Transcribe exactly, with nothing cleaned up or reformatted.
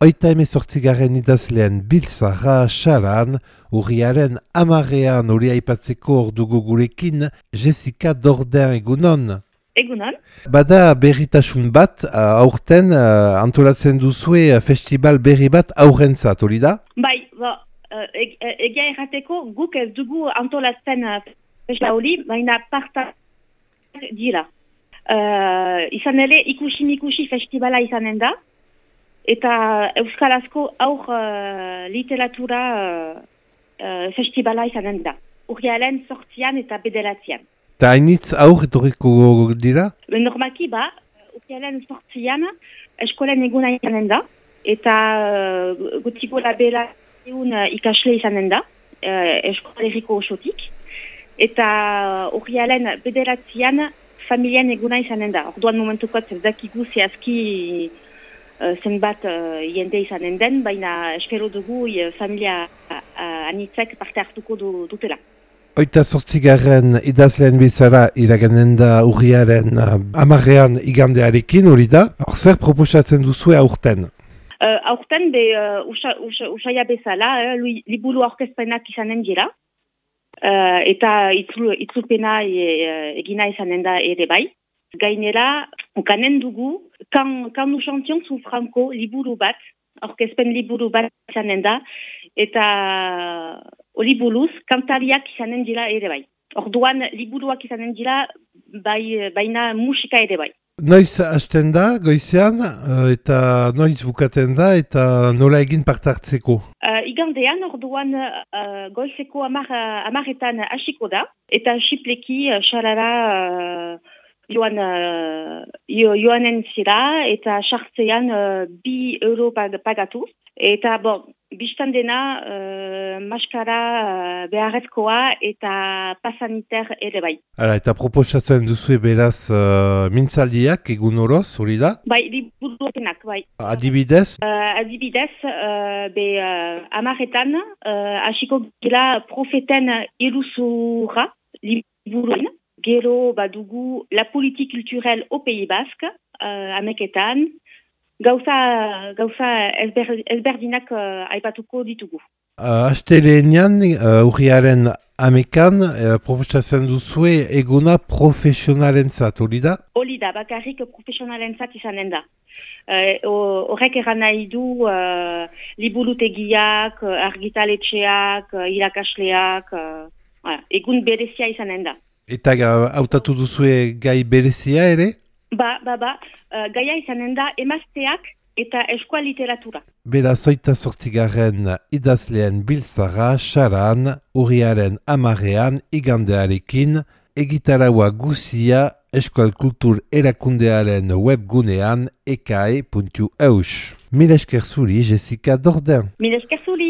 Oita hemezortzigarren idazlean biltzarra xaran, urriaren amarrean hori aipatzeko ordugu gurekin, Jessica Dordain egunon. Egunon. Bada berritasun bat, uh, aurten uh, antolatzen duzue uh, festival berri bat aurrentzat, hori da? Bai, bo, uh, eg, egia errateko guk ez dugu antolatzen uh, festival hori, baina parta dira. Uh, izan ere ikusi-mikusi festivala izanen da, eta euskarazko aur uh, literatura uh, uh, festivala izanen da. Urriaren sortzian eta bederatzian. Eta hainitz aur etorriko dira? Normalki ba, urriaren sortzian eskolen eguna izanen da, eta uh, gutiko labela egun uh, ikasle izanen da, uh, eskoleriko osotik, eta urriaren bederatzian familien eguna izanen da. Orduan momentukot ez dakigu zehazki uh, zenbat uh, jende izanen den, baina espero dugu uh, familia uh, anitzek parte hartuko du, dutela. Oita sortzigarren idazleen bizara iraganen da urriaren uh, amarrean igandearekin, hori da? Hor zer proposatzen duzue aurten? Uh, aurten be uh, usa, usa, usaia bezala, eh, liburu aurkezpenak izanen dira. Uh, eta itzul, itzulpena e, egina izanen da ere bai. Gainera, ukanen dugu, kan, kan nous chantions sous Franco liburu bat, orkezpen liburu bat izanen da, eta hori buruz, kantariak izanen dira ere bai. Orduan, liburuak izanen dira, bai, baina musika ere bai. Noiz hasten da, goizean, eta noiz bukaten da, eta nola egin parte hartzeko? Uh, igandean, orduan, uh, goizeko amar, amaretan hasiko da, eta xipleki, uh, xalara, uh, joan, uh, jo, joanen zira, eta sartzean uh, bi euro pag, pagatu. Eta, bon, biztan dena, uh, maskara uh, beharrezkoa eta pasaniter ere bai. Hala, eta proposatzen duzu beraz uh, mintzaldiak egun oroz, hori da? Bai, liburuenak, bai. Adibidez? Uh, adibidez, uh, be uh, amaretan, uh, hasiko gila profeten iruzurra, liburuen. Gero badugu la politique culturelle au Pays Basque, uh, ameketan. Gauza, gauza ezber, ezberdinak uh, aipatuko ditugu. Uh, Astelenean, uh, urriaren amekan, uh, proposatzen duzue eguna profesionalentzat, hori da? Hori da, bakarrik profesionalentzat izanen da. Horrek uh, eran nahi du uh, liburutegiak, argitaletxeak, uh, irakasleak, uh, voilà, egun berezia izanen da. Eta hautatu uh, duzue gai berezia ere? Ba, ba, ba, uh, gaia izanen da emazteak eta eskola literatura. Bera zoita sortzigarren idazleen biltzara, xaran, urriaren amarean, igandearekin, egitaraua guzia Euskal Kultur Erakundearen webgunean ekae puntu eus. Mil esker zuri, Jessica Dordain. Mil esker zuri.